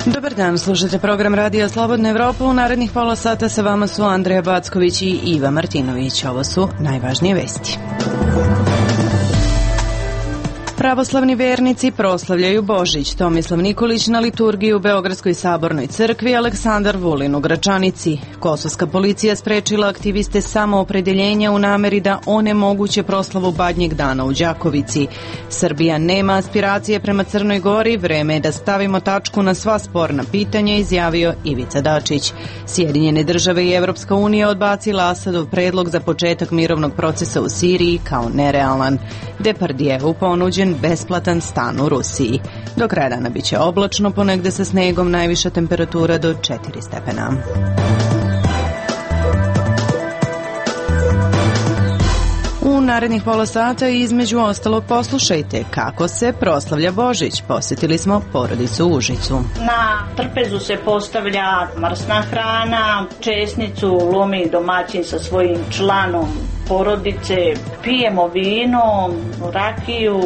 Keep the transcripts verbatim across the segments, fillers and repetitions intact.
Dobar dan, slušate program Radija Slobodna Evropa. U narednih pola sata sa vama su Andreja Backović i Iva Martinović. Ovo su najvažnije vesti. Pravoslavni vernici proslavljaju Božić. Tomislav Nikolić na liturgiji u Beogradskoj sabornoj crkvi, Aleksandar Vulin u Gračanici. Kosovska policija sprečila aktiviste samoopredeljenja u nameri da onemoguće proslavu Badnjeg dana u Đakovici. Srbija nema aspiracije prema Crnoj Gori, vreme je da stavimo tačku na sva sporna pitanja, izjavio Ivica Dačić. Sjedinjene države i Evropska unija odbacila Asadov predlog za početak mirovnog procesa u Siriji kao nerealan. Depardieu ponuđen besplatan stan u Rusiji. Do kraja dana biće oblačno, ponegde sa snegom, najviša temperatura do četiri stepena. U narednih pola sata između ostalog poslušajte kako se proslavlja Božić. Posjetili smo porodicu u Užicu. Na trpezu se postavlja mrsna hrana, česnicu lomi domaćin sa svojim članom porodice, pijemo vino, rakiju,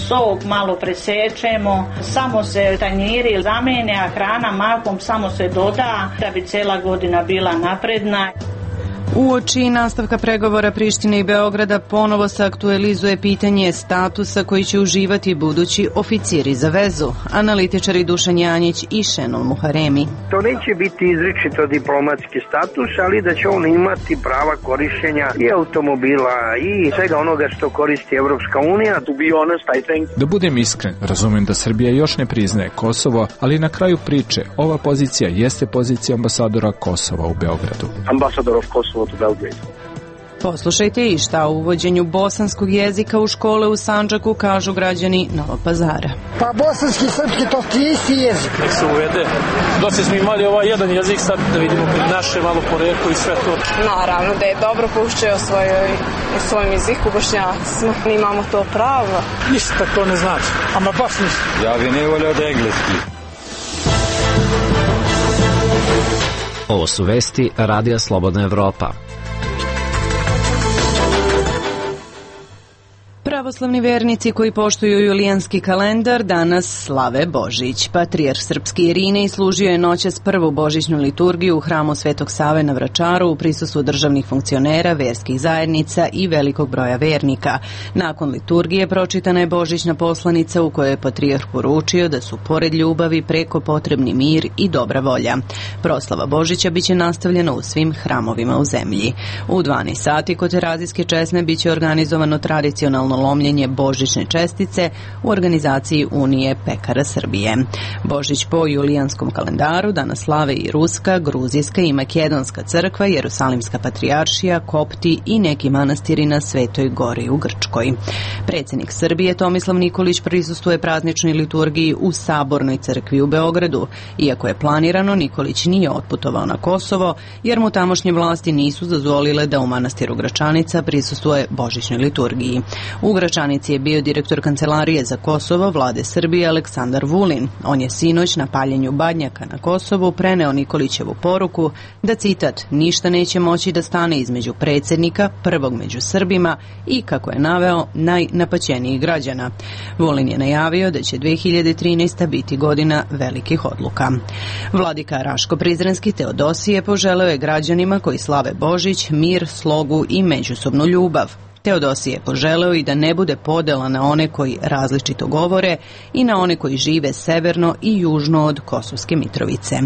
sok malo presečemo, samo se tanjiri zamene, a hrana mahom samo se doda da bi cela godina bila napredna. Uoči nastavka pregovora Prištine i Beograda ponovo se aktualizuje pitanje statusa koji će uživati budući oficiri za vezu, analitičari Dušan Janjić i Šenol Muharemi. To neće biti izričito diplomatski status, ali da će on imati prava korišćenja i automobila i svega onoga što koristi Evropska unija. To be honest, I think... Da budem iskren, razumem da Srbija još ne priznaje Kosovo, ali na kraju priče ova pozicija jeste pozicija ambasadora Kosova u Beogradu. Ambasador of Kosovo to Belgrade. Poslušajte i šta o uvođenju bosanskog jezika u škole u Sandžaku kažu građani Novog Pazara. Pa bosanski i srpski to ti isti jezik. Nek se uvede. Dosta smo imali ovaj jedan jezik, sad da vidimo naše malo poreklo i sve to. Naravno da je dobro poučio o svojom jeziku, Bošnjacima. Mi imamo to pravo. Ništa to ne znači, ama baš ništa. Ja bi ne volio da engleski. Ovo su vesti Radija Slobodna Evropa. Pravoslavni vernici koji poštuju julijanski kalendar danas slave Božić. Patrijarh srpski Irinej služio je noćas prvu božićnu liturgiju u hramu Svetog Save na Vračaru u prisustvu državnih funkcionera, verskih zajednica i velikog broja vernika. Nakon liturgije pročitana je božićna poslanica u kojoj je patrijarh poručio da su pored ljubavi preko potrebni mir i dobra volja. Proslava Božića biće nastavljena u svim hramovima u zemlji. U dvanaest sati kod Terazijske česme biće organizovano tradicionalno lomljenje božićne čestice u organizaciji Unije pekara Srbije. Božić po julijanskom kalendaru danas slave i Ruska, Gruzijska i Makedonska crkva, Jerusalimska patrijaršija, Kopti i neki manastiri na Svetoj Gori u Grčkoj. Predsjednik Srbije Tomislav Nikolić prisustvuje prazničnoj liturgiji u Sabornoj crkvi u Beogradu. Iako je planirano, Nikolić nije otputovao na Kosovo, jer mu tamošnje vlasti nisu dozvolile da u manastiru Gračanica prisustvuje božićnoj liturgiji. U Gračanici je bio direktor Kancelarije za Kosovo Vlade Srbije Aleksandar Vulin. On je sinoć na paljenju Badnjaka na Kosovu preneo Nikolićevu poruku da, citat, ništa neće moći da stane između predsjednika, prvog među Srbima i, kako je naveo, najnapaćenijih građana. Vulin je najavio da će dve hiljade trinaesta. biti godina velikih odluka. Vladika Raško-Prizrenski Teodosije poželeo je građanima koji slave Božić mir, slogu i međusobnu ljubav. Teodosije je poželeo i da ne bude podela na one koji različito govore i na one koji žive severno i južno od Kosovske Mitrovice.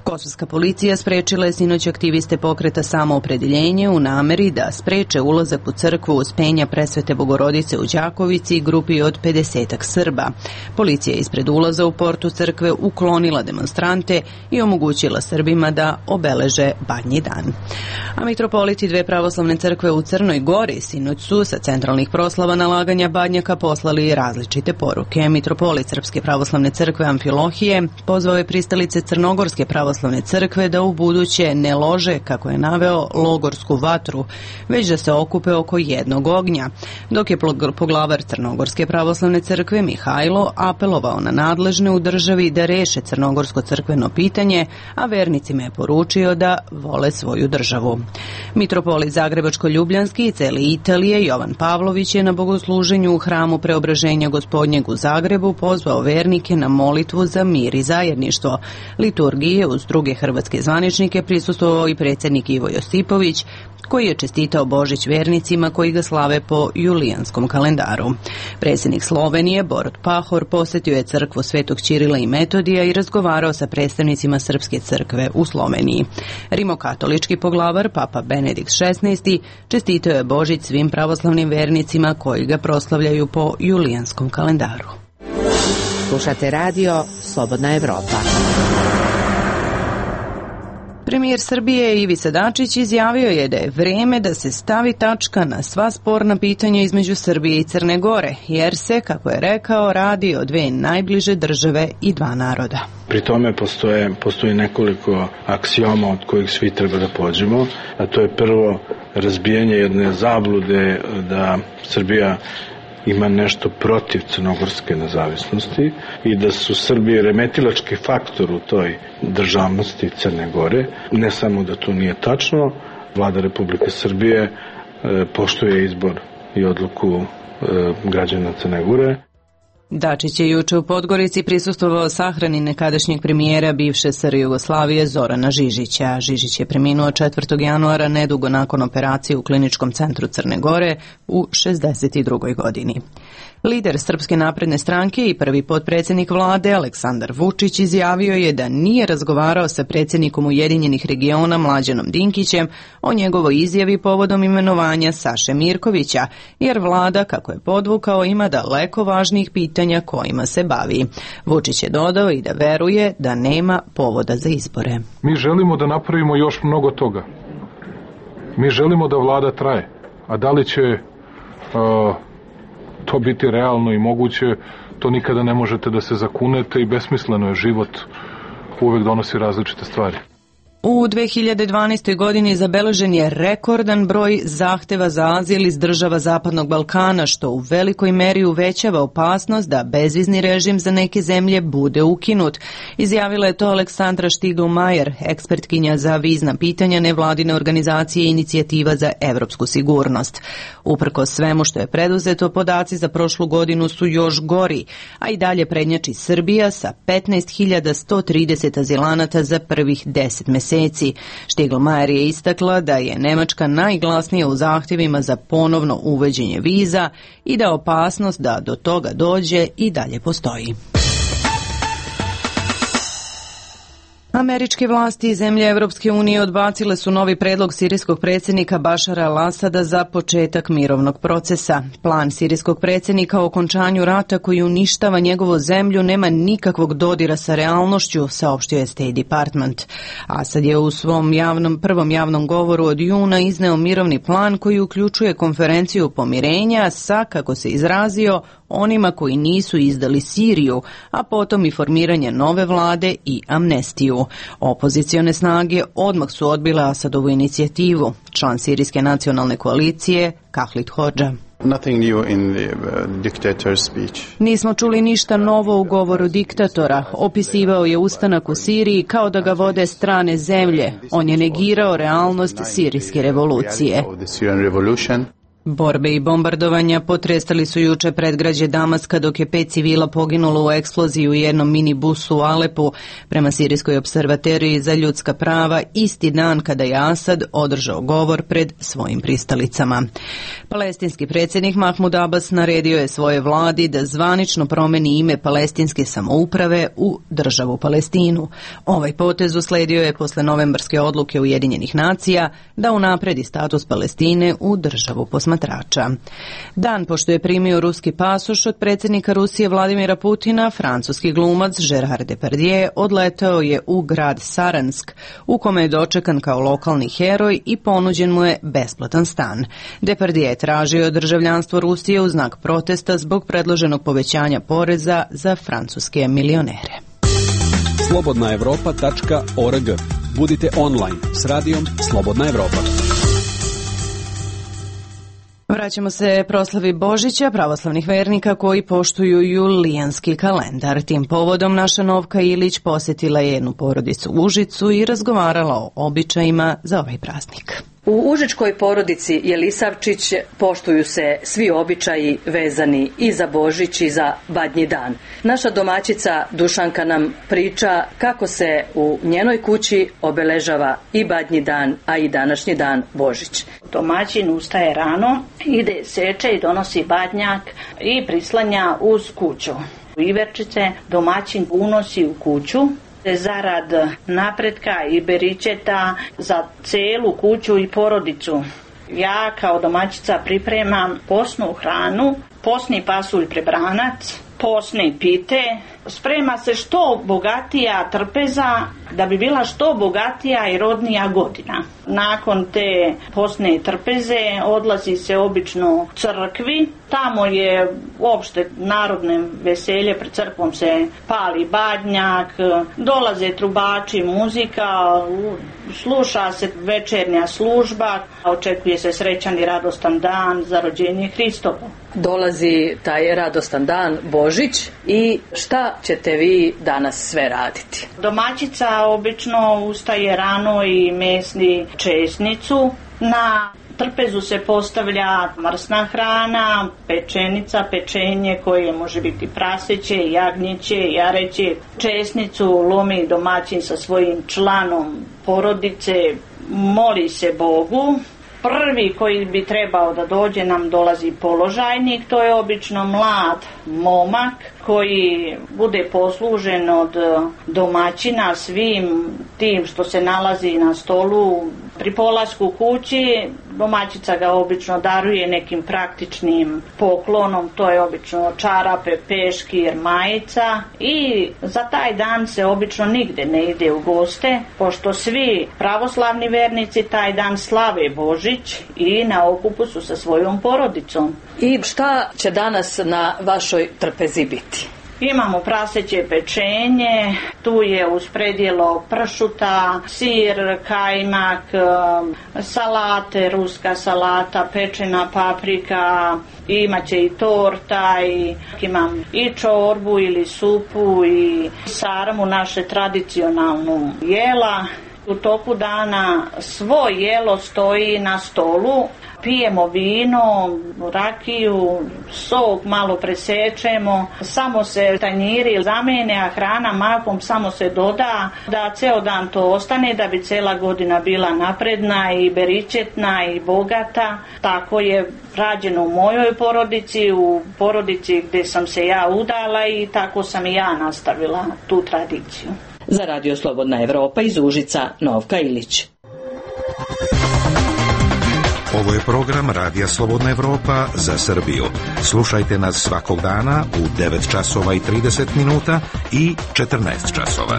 Kosovska policija sprečila je sinoć aktiviste pokreta Samoopredeljenje u nameri da spreče ulazak u crkvu Uspenja Presvete Bogorodice u Đakovici i grupi od pedesetak Srba. Policija je ispred ulaza u portu crkve uklonila demonstrante i omogućila Srbima da obeleže Badnji dan. A mitropoliti dve pravoslavne crkve u Crnoj Gori sinoć Sinoć su sa centralnih proslava nalaganja badnjaka poslali različite poruke. Mitropolit Srpske pravoslavne crkve Amfilohije pozvao je pristalice Crnogorske pravoslavne crkve da u buduće ne lože, kako je naveo, logorsku vatru, već da se okupe oko jednog ognja, dok je poglavar Crnogorske pravoslavne crkve Mihajlo apelovao na nadležne u državi da reše crnogorsko crkveno pitanje, a vernicima je poručio da vole svoju državu. Mitropolit Zagrebačko-Ljubljanski i cele Italije Jovan Pavlović je na bogosluženju u hramu Preobraženja Gospodnjeg u Zagrebu pozvao vernike na molitvu za mir i zajedništvo. Liturgije uz druge hrvatske zvaničnike prisustvovao i predsjednik Ivo Josipović, koji je čestitao Božić vernicima koji ga slave po julijanskom kalendaru. Predsjednik Slovenije Borut Pahor posjetio je crkvu Svetog Ćirila i Metodija i razgovarao sa predstavnicima Srpske crkve u Sloveniji. Rimokatolički poglavar Papa Benedikt šesnaesti čestitao je Božić svim pravoslavnim vernicima koji ga proslavljaju po julijanskom kalendaru. Slušate radio Slobodna Evropa. Premijer Srbije Ivica Dačić izjavio je da je vreme da se stavi tačka na sva sporna pitanja između Srbije i Crne Gore, jer se, kako je rekao, radi o dve najbliže države i dva naroda. Pri tome postoje, postoji nekoliko aksioma od kojih svi treba da pođemo, a to je prvo razbijanje jedne zablude da Srbija ima nešto protiv crnogorske nezavisnosti i da su Srbije remetilački faktor u toj državnosti Crne Gore. Ne samo da to nije tačno, Vlada Republike Srbije poštuje izbor i odluku građana Crne Gore. Dačić je juče u Podgorici prisustvovao sahrani nekadašnjeg premijera bivše S R Jugoslavije Zorana Žižića. Žižić je preminuo četvrtog januara nedugo nakon operacije u Kliničkom centru Crne Gore u šezdeset drugoj godini. Lider Srpske napredne stranke i prvi potpredsjednik vlade Aleksandar Vučić izjavio je da nije razgovarao sa predsjednikom Ujedinjenih regiona Mlađanom Dinkićem o njegovoj izjavi povodom imenovanja Saše Mirkovića, jer vlada, kako je podvukao, ima daleko važnijih pitanja kojima se bavi. Vučić je dodao i da veruje da nema povoda za izbore. Mi želimo da napravimo još mnogo toga. Mi želimo da vlada traje. A da li će uh, to biti realno i moguće, to nikada ne možete da se zakunete i besmisleno je. Život uvek donosi različite stvari. U dve hiljade dvanaestoj. godini zabeležen je rekordan broj zahteva za azil iz država Zapadnog Balkana, što u velikoj meri uvećava opasnost da bezvizni režim za neke zemlje bude ukinut. Izjavila je to Aleksandra Štigl-Majer, ekspertkinja za vizna pitanja nevladine organizacije Inicijativa za evropsku sigurnost. Uprkos svemu što je preduzeto, podaci za prošlu godinu su još gori, a i dalje prednjači Srbija sa petnaest hiljada sto trideset azilanata za prvih deset meseci. Štigl-Majer je istakla da je Nemačka najglasnija u zahtjevima za ponovno uvođenje viza i da opasnost da do toga dođe i dalje postoji. Američke vlasti i zemlje Evropske unije odbacile su novi predlog sirijskog predsjednika Bašara al-Asada za početak mirovnog procesa. Plan sirijskog predsjednika o okončanju rata koji uništava njegovu zemlju nema nikakvog dodira sa realnošću, saopštio je State Department. Asad je u svom javnom, prvom javnom govoru od juna izneo mirovni plan koji uključuje konferenciju pomirenja sa, kako se izrazio, onima koji nisu izdali Siriju, a potom i formiranje nove vlade i amnestiju. Opozicione snage odmah su odbile Asadovu inicijativu. Član sirijske nacionalne koalicije Kahlit Hodža. Nismo čuli ništa novo u govoru diktatora. Opisivao je ustanak u Siriji kao da ga vode strane zemlje. On je negirao realnost sirijske revolucije. Borbe i bombardovanja potresali su juče predgrađe Damaska, dok je pet civila poginulo u eksploziji u jednom minibusu u Alepu, prema Sirijskoj observatoriji za ljudska prava, isti dan kada je Asad održao govor pred svojim pristalicama. Palestinski predsjednik Mahmud Abbas naredio je svoje vladi da zvanično promeni ime palestinske samouprave u državu Palestinu. Ovaj potez usledio je posle novembarske odluke Ujedinjenih nacija da unapredi status Palestine u državu posmatrača. posmatrača. Dan pošto je primio ruski pasoš od predsjednika Rusije Vladimira Putina, francuski glumac Gérard Depardieu odletao je u grad Saransk, u kome je dočekan kao lokalni heroj i ponuđen mu je besplatan stan. Depardieu je tražio državljanstvo Rusije u znak protesta zbog predloženog povećanja poreza za francuske milionere. slobodna evropa tačka org. Budite online s radijom Slobodna Evropa. Vraćamo se proslavi Božića pravoslavnih vernika koji poštuju julijanski kalendar. Tim povodom naša Novka Ilić posjetila je jednu porodicu u Užicu i razgovarala o običajima za ovaj praznik. U užičkoj porodici Jelisavčić poštuju se svi običaji vezani i za Božić i za Badnji dan. Naša domaćica Dušanka nam priča kako se u njenoj kući obeležava i Badnji dan, a i današnji dan Božić. Domaćin ustaje rano, ide seče i donosi badnjak i prislanja uz kuću. Iverčice domaćin unosi u kuću zarad napretka i beričeta za celu kuću i porodicu. Ja kao domaćica pripremam posnu hranu, posni pasulj prebranac, posne pite, sprema se što bogatija trpeza da bi bila što bogatija i rodnija godina. Nakon te posne trpeze odlazi se obično crkvi, tamo je uopšte narodne veselje, pred crkvom se pali badnjak, dolaze trubači, muzika, sluša se večernja služba, očekuje se srećan i radostan dan za rođenje Hristovo. Dolazi taj radostan dan Božić i šta ćete vi danas sve raditi? Domaćica obično ustaje rano i mesni česnicu. Na trpezu se postavlja mrsna hrana, pečenica, pečenje koje može biti praseće, jagnjeće, jareće. Česnicu lomi domaćin sa svojim članom porodice, moli se Bogu. Prvi koji bi trebao da dođe nam dolazi položajnik, to je obično mlad momak koji bude poslužen od domaćina svim tim što se nalazi na stolu. Pri polasku kući domaćica ga obično daruje nekim praktičnim poklonom, to je obično čarape, peškir, majica i za taj dan se obično nigde ne ide u goste, pošto svi pravoslavni vernici taj dan slave Božić i na okupu su sa svojom porodicom. I šta će danas na vašoj trpezi biti? Imamo praseće pečenje, tu je uz predjelo pršuta, sir, kajmak, salate, ruska salata, pečena paprika, imaće i torta, i imam i čorbu ili supu i sarmu, naše tradicionalnu jela. U toku dana svo jelo stoji na stolu, pijemo vino, rakiju, sok malo presečemo, samo se tanjiri zamene, a hrana mahom samo se doda, da ceo dan to ostane, da bi cela godina bila napredna i beričetna i bogata. Tako je rađeno u mojoj porodici, u porodici gde sam se ja udala i tako sam i ja nastavila tu tradiciju. Za Radio Slobodna Evropa iz Užica, Novka Ilić. Ovo je program Radija Slobodna Evropa za Srbiju. Slušajte nas svakog dana u devet časova i trideset minuta i četrnaest časova.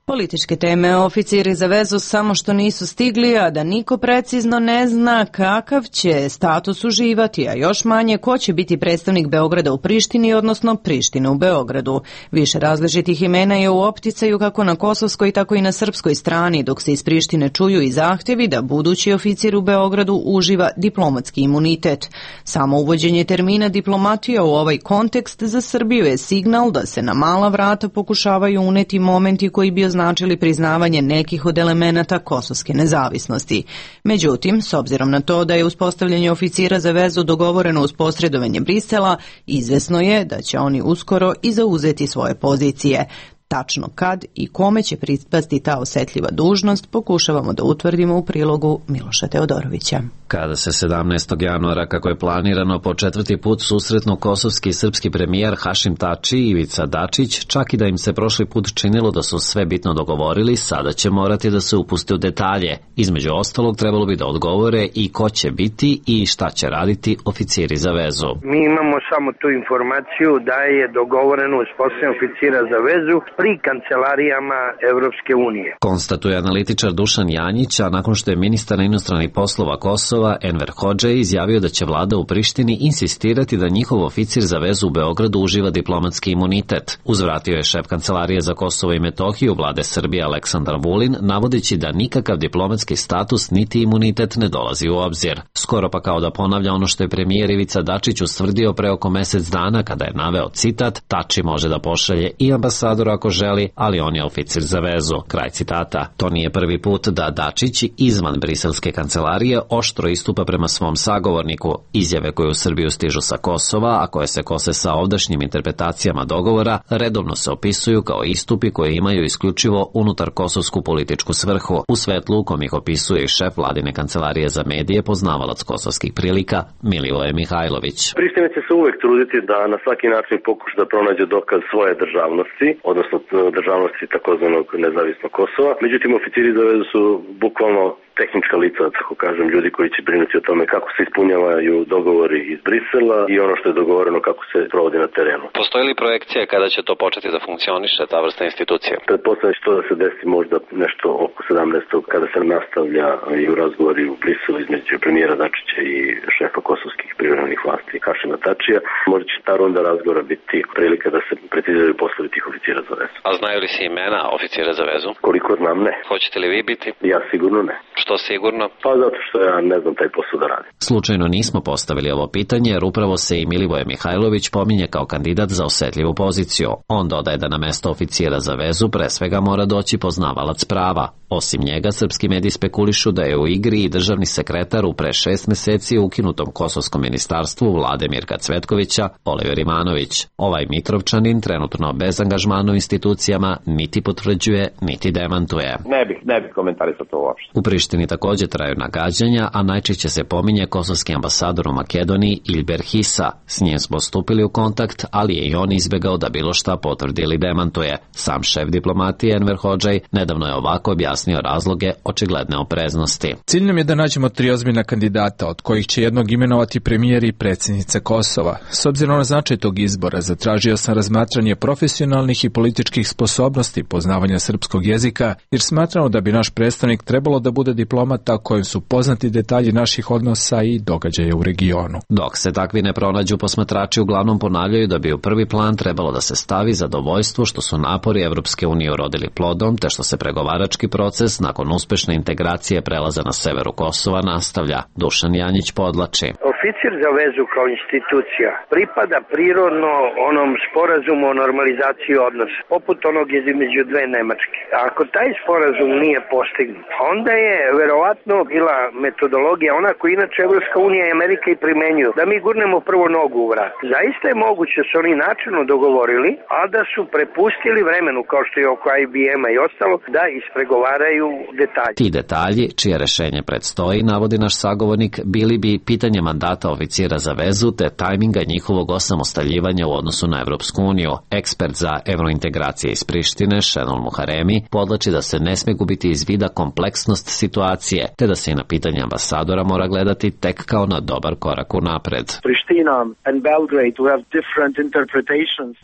Političke teme. Oficiri za vezu samo što nisu stigli, a da niko precizno ne zna kakav će status uživati, a još manje ko će biti predstavnik Beograda u Prištini, odnosno Prištine u Beogradu. Više različitih imena je u opticaju kako na kosovskoj, tako i na srpskoj strani, dok se iz Prištine čuju i zahtjevi da budući oficir u Beogradu uživa diplomatski imunitet. Samo uvođenje termina diplomatija u ovaj kontekst za Srbiju je signal da se na mala vrata pokušavaju uneti momenti koji bi označili priznavanje nekih od elemenata kosovske nezavisnosti. Međutim, s obzirom na to da je uspostavljanje oficira za vezu dogovoreno uz posredovanje Brisela, izvesno je da će oni uskoro i zauzeti svoje pozicije. Tačno kad i kome će pripasti ta osetljiva dužnost pokušavamo da utvrdimo u prilogu Miloša Teodorovića. Kada se sedamnaestog januara, kako je planirano, po četvrti put susretnu kosovski i srpski premijer Hašim Tači i Ivica Dačić, čak i da im se prošli put činilo da su sve bitno dogovorili, sada će morati da se upuste u detalje. Između ostalog, trebalo bi da odgovore i ko će biti i šta će raditi oficiri za vezu. Mi imamo samo tu informaciju da je dogovoreno uspostavljanje oficira za vezu pri kancelarijama Evropske unije. Konstatuje analitičar Dušan Janjić, a nakon što je ministar inostranih poslova Kosova Enver Hodžej izjavio da će vlada u Prištini insistirati da njihov oficir za vezu u Beogradu uživa diplomatski imunitet. Uzvratio je šef Kancelarije za Kosovo i Metohiju vlade Srbije Aleksandar Vulin, navodeći da nikakav diplomatski status niti imunitet ne dolazi u obzir. Skoro pa kao da ponavlja ono što je premijer Ivica Dačić ustvrdio pre oko mesec dana kada je naveo citat: Tači može da pošalje i ambasadora ako želi, ali on je oficir za vezu. Kraj citata. To nije prvi put da Dačić izvan briselske kancelarije oštro istupa prema svom sagovorniku. Izjave koje u Srbiju stižu sa Kosova, a koje se kose sa ovdašnjim interpretacijama dogovora, redovno se opisuju kao istupi koje imaju isključivo unutar kosovsku političku svrhu. U svetlu u kom ih opisuje i šef vladine kancelarije za medije, poznavalac kosovskih prilika Milivoje Mihajlović. Priština će se uvek truditi da na svaki način pokuša da pronađe dokaz svoje državnosti, odnosno državnosti takozvanog nezavisnog Kosova. Međutim, oficiri za vezu su bukvalno tehnička lica, tako kažem, ljudi koji će brinuti o tome kako se ispunjavaju dogovori iz Brisela i ono što je dogovoreno kako se provodi na terenu. Postoji li projekcija kada će to početi da funkcioniše, ta vrsta institucije? Pretpostavljam će to da se desi možda nešto oko sedamnaestog kada se nastavlja i u razgovori u Briselu između premijera Dačića i šefa kosovskih privremenih vlasti Hašima Tačija. Možda će ta runda razgovora biti prilika da se preciziraju poslovi tih oficira za vezu. A znaju li se imena oficira za vezu? Koliko znam, ne. Hoćete li vi biti? Ja sigurno ne. Što sigurno? Pa zato što ja ne znam taj posao da radi. Slučajno nismo postavili ovo pitanje jer upravo se i Milivoje Mihajlović pominje kao kandidat za osetljivu poziciju. On dodaje da na mesto oficira za vezu pre svega mora doći poznavalac prava. Osim njega, srpski mediji spekulišu da je u igri i državni sekretar u pre šest meseci ukinutom kosovskom ministarstvu vlade Mirka Cvetkovića, Oliver Imanović. Ovaj Mitrovčanin trenutno bez angažmana u institucijama niti potvrđuje, niti demantuje. Ne bih, ne bih komentarisao to uopšte. U Prištini takođe traju nagađanja, a najčešće se pominje kosovski ambasador u Makedoniji Ilber Hisa. S njim smo stupili u kontakt, ali je i on izbegao da bilo šta potvrdi ili demantuje. Sam šef diplomatije Enver Hodžej nedavno je ovako objasnio razloge očigledne opreznosti. Cilj nam je da nađemo tri ozbiljna kandidata, od kojih će jednog imenovati premijer i predsjednica Kosova. S obzirom na značaj tog izbora, zatražio sam razmatranje profesionalnih i političkih sposobnosti poznavanja srpskog jezika, jer smatramo da bi naš predstavnik trebalo da bude diplomata kojem su poznati detalji naših odnosa i događaja u regionu. Dok se takvi ne pronađu, posmatrači uglavnom ponavljaju da bi u prvi plan trebalo da se stavi zadovoljstvo što su napori Evropske unije urodili plodom, te što se pregovarački proces nakon uspešne integracije prelaza na severu Kosova nastavlja. Dušan Janjić podlači. Oficir za vezu kao institucija pripada prirodno onom sporazumu o normalizaciji odnosa, poput onog između dve Nemačke. Ako taj sporazum nije postignut, onda je verovatno bila metodologija ona koju inače Evropska unija i Amerika i primenjuju, da mi gurnemo prvo nogu u vrat. Zaista je moguće da su oni načelno dogovorili, a da su prepustili vremenu, kao što je oko I B M-a i ostalo, da ispregovaraju detalje. Ti detalji, čije rešenje predstoji, navodi naš sagovornik, bili bi pitanje mandata oficira za vezu te tajminga njihovog osamostaljivanja u odnosu na Evropsku uniju. Ekspert za evrointegracije iz Prištine, Šenol Muharemi, podlači da se ne sme gubiti iz vida kompleksnost situacije, te da se i na pitanje ambasadora mora gledati tek kao na dobar korak unapred.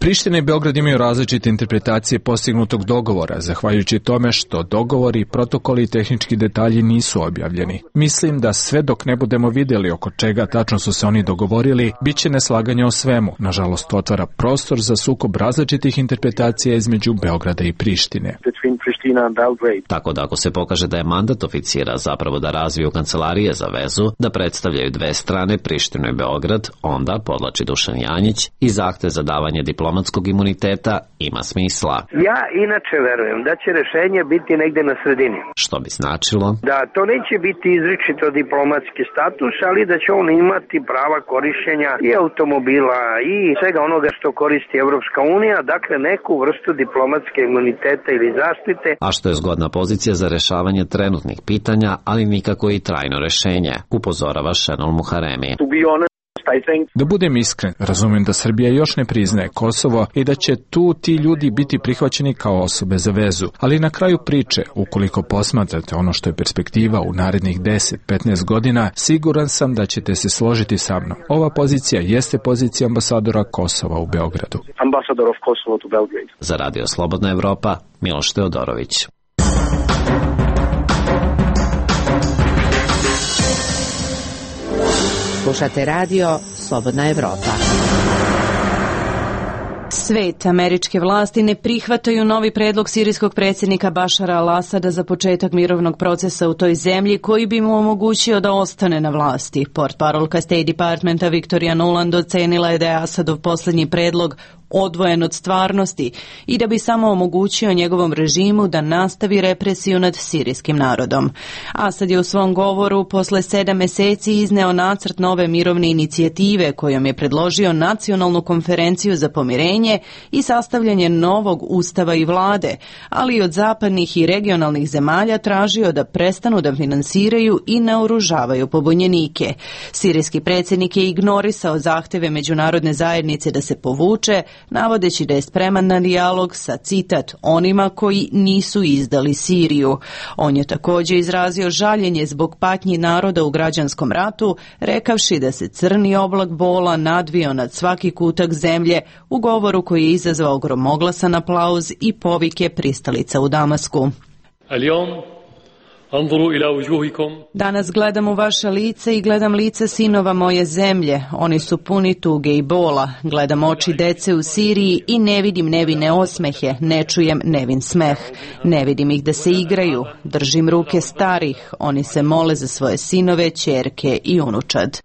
Priština i Beograd imaju različite interpretacije postignutog dogovora, zahvaljujući tome što dogovori, protokoli i tehnički detalji nisu objavljeni. Mislim da sve dok ne budemo vidjeli oko čega tačno su se oni dogovorili, bit će neslaganja o svemu. Nažalost, to otvara prostor za sukob različitih interpretacija između Beograda i Prištine. Tako da ako se pokaže da je mandat oficira komplicira, zapravo da razviju kancelarije za vezu, da predstavljaju dve strane, Prištinu i Beograd, onda, podlači Dušan Janjić, i zahtev za davanje diplomatskog imuniteta ima smisla. Ja inače verujem da će rešenje biti negde na sredini. Što bi značilo? Da to neće biti izričito diplomatski status, ali da će on imati prava korišćenja i automobila i svega onoga što koristi Evropska unija, dakle neku vrstu diplomatske imuniteta ili zaštite. A što je zgodna pozicija za rešavanje trenutnih pitanja, ali nikako i trajno rešenje, upozorava Šenol Muharemi. Da budem iskren, razumijem da Srbija još ne priznaje Kosovo i da će tu ti ljudi biti prihvaćeni kao osobe za vezu, ali na kraju priče, ukoliko posmatrate ono što je perspektiva u narednih deset do petnaest godina, siguran sam da ćete se složiti sa mnom. Ova pozicija jeste pozicija ambasadora Kosova u Beogradu. Ambassador of Kosovo to Belgrade. Za Radio Slobodna Evropa, Miloš Teodorović. Slušate radio Slobodna Evropa. Svet, američke vlasti ne prihvataju novi predlog sirijskog predsjednika Bašara al-Asada za početak mirovnog procesa u toj zemlji koji bi mu omogućio da ostane na vlasti. Portparolka State Departmenta Victoria Nuland ocenila je da je Asadov posljednji predlog odvojen od stvarnosti i da bi samo omogućio njegovom režimu da nastavi represiju nad sirijskim narodom. Asad je u svom govoru posle sedam meseci izneo nacrt nove mirovne inicijative kojom je predložio nacionalnu konferenciju za pomirenje i sastavljanje novog ustava i vlade, ali i od zapadnih i regionalnih zemalja tražio da prestanu da finansiraju i naoružavaju pobunjenike. Sirijski predsjednik je ignorisao zahteve međunarodne zajednice da se povuče, navodeći da je spreman na dijalog sa, citat, onima koji nisu izdali Siriju. On je također izrazio žaljenje zbog patnji naroda u građanskom ratu, rekavši da se crni oblak bola nadvio nad svaki kutak zemlje u govoru koji je izazvao gromoglasan aplauz i povike pristalica u Damasku. Danas gledam u vaša lica i gledam lica sinova moje zemlje. Oni su puni tuge i bola. Gledam oči dece u Siriji i ne vidim nevine osmehe, ne čujem nevin smeh. Ne vidim ih da se igraju. Držim ruke starih. Oni se mole za svoje sinove, ćerke i unučad.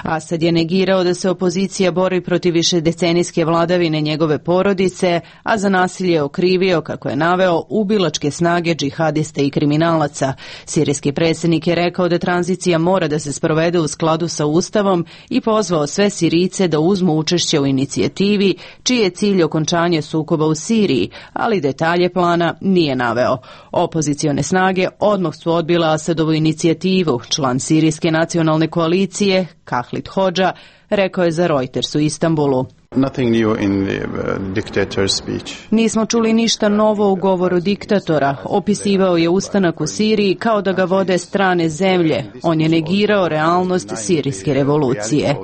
Asad je negirao da se opozicija bori protiv višedecenijske vladavine njegove porodice, a za nasilje okrivio, kako je naveo, ubilačke snage džihadista i kriminalaca. Sirijski predsjednik je rekao da tranzicija mora da se sprovede u skladu sa Ustavom i pozvao sve Sirijce da uzmu učešće u inicijativi, čiji je cilj okončanje sukoba u Siriji, ali detalje plana nije naveo. Opozicione snage odmah su odbile Asadovu inicijativu. Član Sirijske nacionalne koalicije, Kahlit Hodža, rekao je za Reuters u Istanbulu. Nothing new in the uh, dictator's speech. Nismo čuli ništa novo u govoru diktatora. Opisivao je ustanak u Siriji kao da ga vode strane zemlje. On je negirao realnost sirijske revolucije.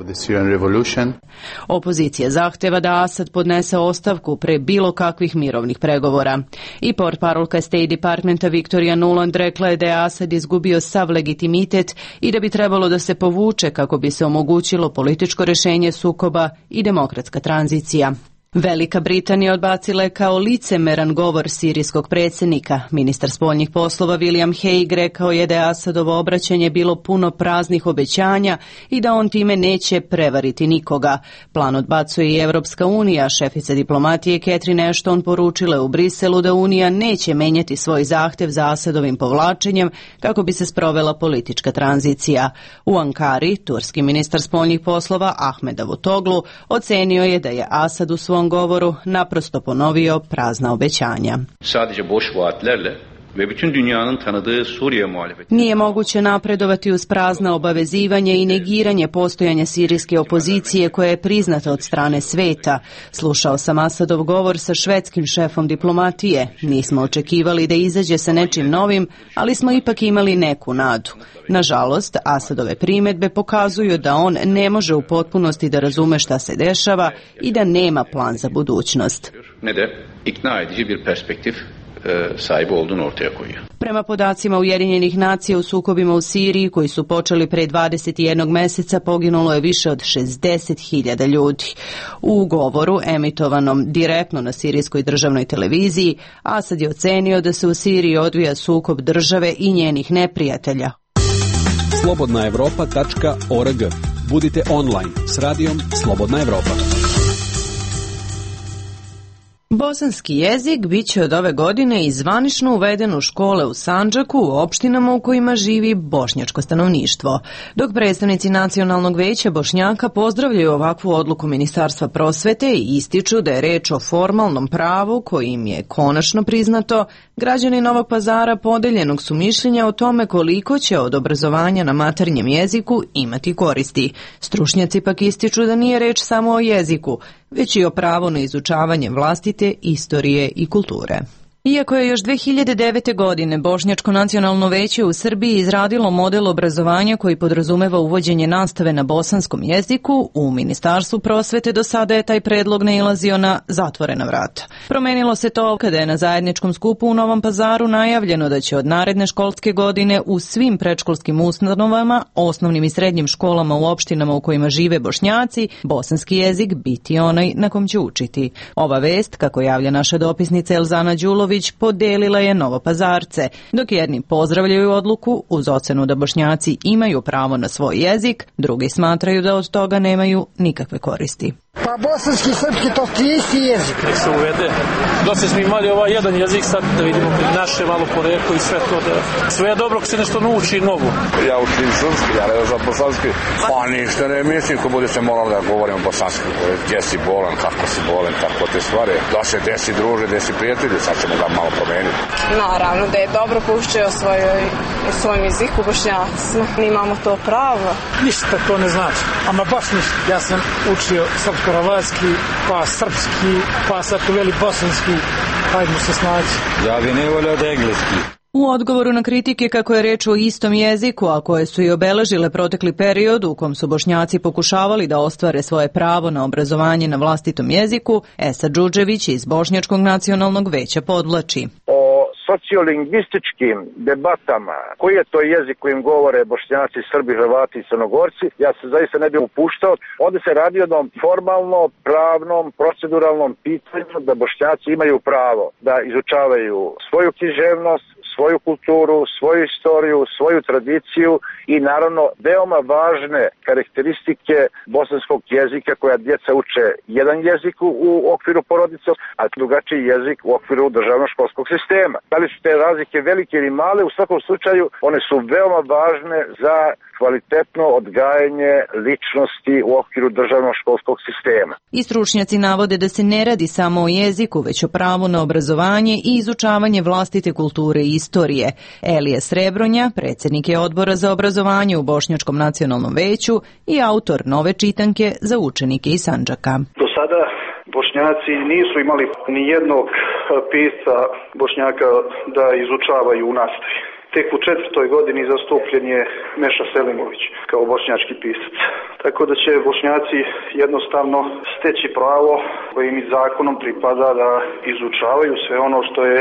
Opozicija zahteva da Asad podnese ostavku pre bilo kakvih mirovnih pregovora. I portparolka State Departmenta Victoria Nuland rekla je da je Asad izgubio sav legitimitet i da bi trebalo da se povuče kako bi se omogućilo političko rešenje sukoba i demokratska tranzicija. Velika Britanija odbacila je kao licemeran govor sirijskog predsjednika. Ministar spoljnih poslova William Hague rekao je da je Asadovo obraćanje bilo puno praznih obećanja i da on time neće prevariti nikoga. Plan odbacuje i Evropska unija. Šefica diplomatije Catherine Ashton poručila u Briselu da Unija neće menjati svoj zahtev za Asadovim povlačenjem kako bi se sprovela politička tranzicija. U Ankari, turski ministar spoljnih poslova Ahmed Davutoglu ocenio je da je Asad u svom govoru naprosto ponovio prazna obećanja. Sadece boş vaatlerle ve bütün dünyanın tanıdığı Suriye muhalefeti. Nije moguće napredovati uz prazna obavezivanje i negiranje postojanja sirijske opozicije koja je priznata od strane sveta. Slušao sam Asadov govor sa švedskim šefom diplomatije. Nismo očekivali da izađe sa nečim novim, ali smo ipak imali neku nadu. Nažalost, Asadove primjedbe pokazuju da on ne može u potpunosti da razume šta se dešava i da nema plan za budućnost. Ne de ikna edici bir perspektif e, sahibi olduğunu ortaya koyuyor. Prema podacima Ujedinjenih nacija u sukobima u Siriji koji su počeli pre dvadeset jednog meseca poginulo je više od šezdeset hiljada ljudi. U govoru emitovanom direktno na sirijskoj državnoj televiziji Asad je ocenio da se u Siriji odvija sukob države i njenih neprijatelja. slobodna evropa tačka org. Budite online s radijom Slobodna Evropa. Bosanski jezik bit će od ove godine i zvanično uveden u škole u Sandžaku u opštinama u kojima živi bošnjačko stanovništvo. Dok predstavnici Nacionalnog veća Bošnjaka pozdravljaju ovakvu odluku Ministarstva prosvete i ističu da je reč o formalnom pravu kojim je konačno priznato, građani Novog Pazara podeljenog su mišljenja o tome koliko će od obrazovanja na maternjem jeziku imati koristi. Stručnjaci pak ističu da nije reč samo o jeziku, već i o pravu na izučavanje vlastite istorije i kulture. Iako je još dve hiljade devete. godine Bošnjačko nacionalno veće u Srbiji izradilo model obrazovanja koji podrazumeva uvođenje nastave na bosanskom jeziku, u Ministarstvu prosvete do sada je taj predlog nailazio na zatvorena vrata. Promenilo se to kada je na zajedničkom skupu u Novom Pazaru najavljeno da će od naredne školske godine u svim predškolskim ustanovama, osnovnim i srednjim školama u opštinama u kojima žive Bošnjaci, bosanski jezik biti onaj na kom će učiti. Ova vest, kako javlja naša dopisnica Elzana Đulović, podelila je Novopazarce, dok jedni pozdravljaju odluku uz ocenu da Bošnjaci imaju pravo na svoj jezik, drugi smatraju da od toga nemaju nikakve koristi. Pa bosanski i srpski to ti isti jezik. Nek se uvede. Dosta smo imali ovaj jedan jezik, sad da vidimo naše malo poreklo i sve to. Da... Sve je dobro ako se nešto nauči novo. Ja učim srpski, ja ne znam bosanski. Pa ništa ne mislim, ko bude se moralo da govorimo bosanski. Gdje si bolan, kako si bolan, tako te stvari. Da se desi druže, desi prijatelji, sad ćemo ga malo promeniti. Naravno da je dobro poučiti o svojoj, o svojom jeziku bošnjacima. Mi imamo to pravo. Ništa to ne znači, ama baš ništa. Ja sam učio srpsko-hrvatski, pa srpski, pa sad uveli bosanski, hajdemo se snaći. Ja bi ne volio da engleski. U odgovoru na kritike kako je reč o istom jeziku, a koje su i obeležile protekli period u kom su Bošnjaci pokušavali da ostvare svoje pravo na obrazovanje na vlastitom jeziku, Esad Đurđević iz Bošnjačkog nacionalnog veća podvlači. O sociolingvističkim debatama, koji je to jezik kojim govore Bošnjaci, Srbi, Hrvati i Crnogorci, ja se zaista ne bih upuštao. Ovdje se radi o jednom formalno, pravnom, proceduralnom pitanju da Bošnjaci imaju pravo da izučavaju svoju književnost, svoju kulturu, svoju istoriju, svoju tradiciju i naravno veoma važne karakteristike bosanskog jezika koja djeca uče jedan jezik u okviru porodice, a drugačiji jezik u okviru državnog školskog sistema. Da li su te razlike velike ili male, u svakom slučaju one su veoma važne za kvalitetno odgajanje ličnosti u okviru državnog školskog sistema. I stručnjaci navode da se ne radi samo o jeziku, već o pravu na obrazovanje i izučavanje vlastite kulture i istorije. Elija Srebronja, predsjednik je odbora za obrazovanje u Bošnjačkom nacionalnom veću i autor nove čitanke za učenike iz Sandžaka. Do sada Bošnjaci nisu imali ni jednog pisca Bošnjaka da izučavaju u nastavi. Tek u četvrtoj godini zastupljen je Meša Selimović kao bošnjački pisac. Tako da će Bošnjaci jednostavno steći pravo koje im zakonom pripada da izučavaju sve ono što je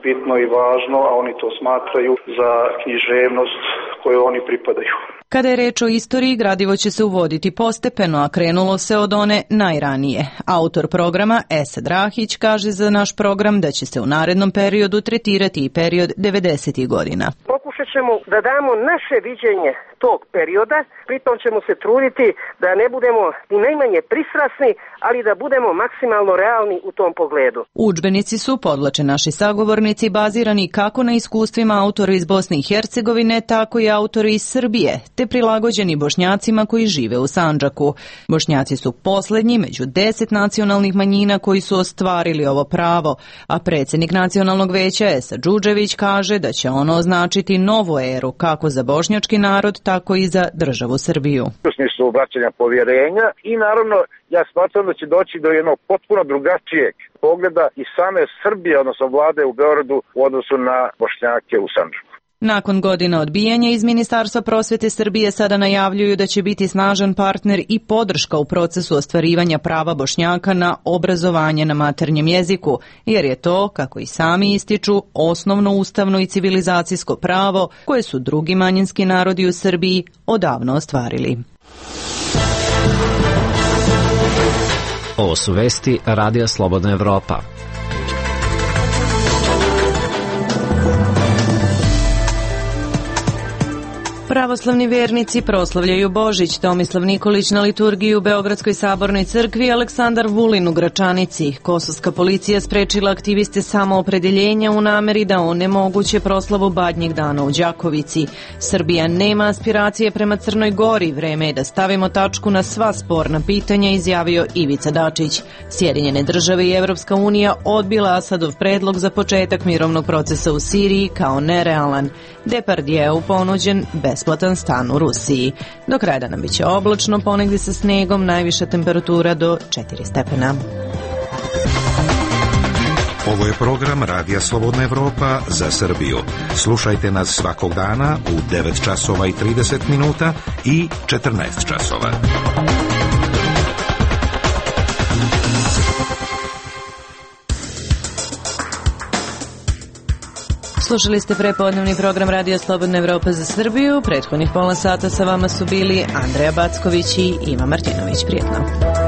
bitno i važno, a oni to smatraju za književnost koju oni pripadaju. Kada je reč o istoriji, gradivo će se uvoditi postepeno, a krenulo se od one najranije. Autor programa Esad Rahić kaže za naš program da će se u narednom periodu tretirati i period devedesetih godina. Pokušat ćemo da damo naše viđenje tog perioda, pritom ćemo se truditi da ne budemo ni najmanje pristrasni, ali da budemo maksimalno realni u tom pogledu. Udžbenici su, podvlače naši sagovornici, bazirani kako na iskustvima autora iz Bosne i Hercegovine, tako i autori iz Srbije, te prilagođeni Bošnjacima koji žive u Sandžaku. Bošnjaci su posljednji među deset nacionalnih manjina koji su ostvarili ovo pravo, a predsjednik Nacionalnog veća Esad Đurđević kaže da će ono označiti novu eru kako za bošnjački narod, tako i za državu Srbiju. U smislu vraćanja povjerenja i naravno ja smatram da će doći do jednog potpuno drugačijeg pogleda i same Srbije, odnosno vlade u Beogradu u odnosu na Bošnjake u Sandžaku. Nakon godina odbijanja iz Ministarstva prosvete Srbije sada najavljuju da će biti snažan partner i podrška u procesu ostvarivanja prava Bošnjaka na obrazovanje na maternjem jeziku, jer je to, kako i sami ističu, osnovno ustavno i civilizacijsko pravo koje su drugi manjinski narodi u Srbiji odavno ostvarili. Ovo su vesti Radija Slobodna Evropa. Pravoslavni vernici proslavljaju Božić. Tomislav Nikolić na liturgiji u Beogradskoj sabornoj crkvi, Aleksandar Vulin u Gračanici. Kosovska policija sprečila aktiviste samoopredeljenja u nameri da onemoguće proslavu Badnjeg dana u Đakovici. Srbija nema aspiracije prema Crnoj Gori. Vreme je da stavimo tačku na sva sporna pitanja, izjavio Ivica Dačić. Sjedinjene države i Evropska unija odbila Asadov predlog za početak mirovnog procesa u Siriji kao nerealan. Depardijeu ponuđen besplatan stan u Rusiji. Do kraja dana biće oblačno, ponegdje sa snegom, najviša temperatura do četiri stepena. Ovo je program Radija Slobodna Evropa za Srbiju. Slušajte nas svakog dana u devet časova i trideset minuta i četrnaest časova. Slušali ste prepodnevni program Radija Slobodna Evropa za Srbiju. Prethodnih pola sata sa vama su bili Andreja Backović i Ima Martinović. Prijetno.